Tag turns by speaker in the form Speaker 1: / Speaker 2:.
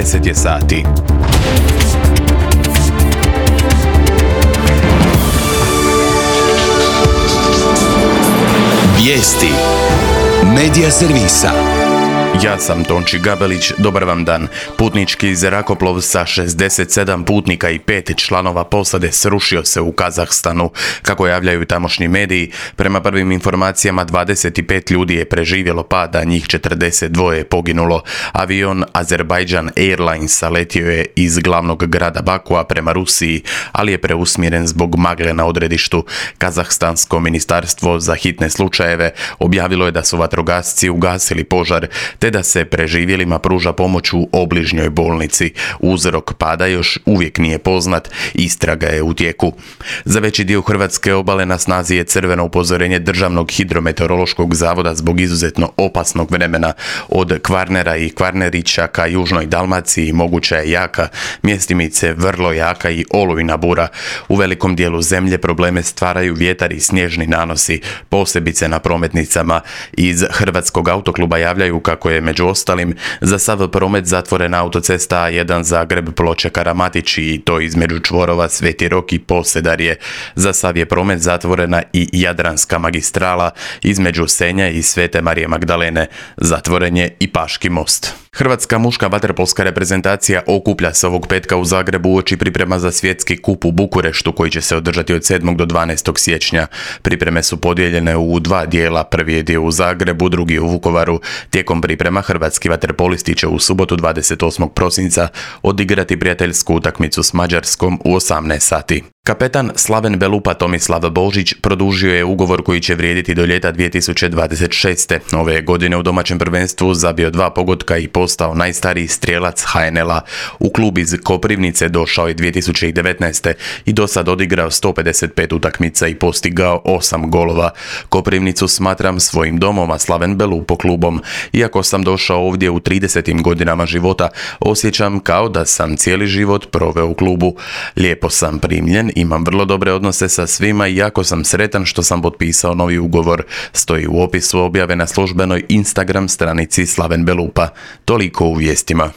Speaker 1: 10 je sati.
Speaker 2: Vijesti Medija servisa.
Speaker 1: Ja sam Tonči Gabelić, dobar vam dan. Putnički zrakoplov sa 67 putnika i 5 članova posade srušio se u Kazahstanu. Kako javljaju tamošnji mediji, prema prvim informacijama 25 ljudi je preživjelo pad, a njih 42 je poginulo. Avion Azerbaijan Airlinesa letio je iz glavnog grada Bakua prema Rusiji, ali je preusmjeren zbog magle na odredištu. Kazahstansko ministarstvo za hitne slučajeve objavilo je da su vatrogasci ugasili požar, te da se preživjelima pruža pomoć u obližnjoj bolnici. Uzrok pada još uvijek nije poznat, istraga je u tijeku. Za veći dio hrvatske obale na snazi je crveno upozorenje Državnog hidrometeorološkog zavoda zbog izuzetno opasnog vremena. Od Kvarnera i Kvarnerića ka južnoj Dalmaciji moguća je jaka, mjestimice vrlo jaka i olujna bura. U velikom dijelu zemlje probleme stvaraju vjetar i snježni nanosi, posebice na prometnicama. Iz Hrvatskog autokluba javljaju kako je među ostalim za sav promet zatvorena autocesta A1 Zagreb Ploče Karamatić i to između čvorova Sveti Rok i Posedarje. Za sav je promet zatvorena i Jadranska magistrala između Senja i Svete Marije Magdalene. Zatvoren je i Paški most. Hrvatska muška vaterpolska reprezentacija okuplja se ovog petka u Zagrebu uoči priprema za svjetski kup u Bukureštu koji će se održati od 7. do 12. siječnja. Pripreme su podijeljene u dva dijela, prvi je dio u Zagrebu, drugi u Vukovaru. Tijekom priprema hrvatski vaterpolisti će u subotu 28. prosinca odigrati prijateljsku utakmicu s Mađarskom u 18 sati. Kapetan Slaven Belupa Tomislav Božić produžio je ugovor koji će vrijediti do ljeta 2026. Ove godine u domaćem prvenstvu zabio 2 pogotka i postao najstariji strijelac HNL-a. U klub iz Koprivnice došao je 2019. i do sad odigrao 155 utakmica i postigao 8 golova. Koprivnicu smatram svojim domom, a Slaven Belupo klubom. Iako sam došao ovdje u 30. godinama života, osjećam kao da sam cijeli život proveo u klubu. Lijepo sam primljen, imam vrlo dobre odnose sa svima i jako sam sretan što sam potpisao novi ugovor, stoji u opisu objave na službenoj Instagram stranici Slaven Belupa. Toliko u vijestima.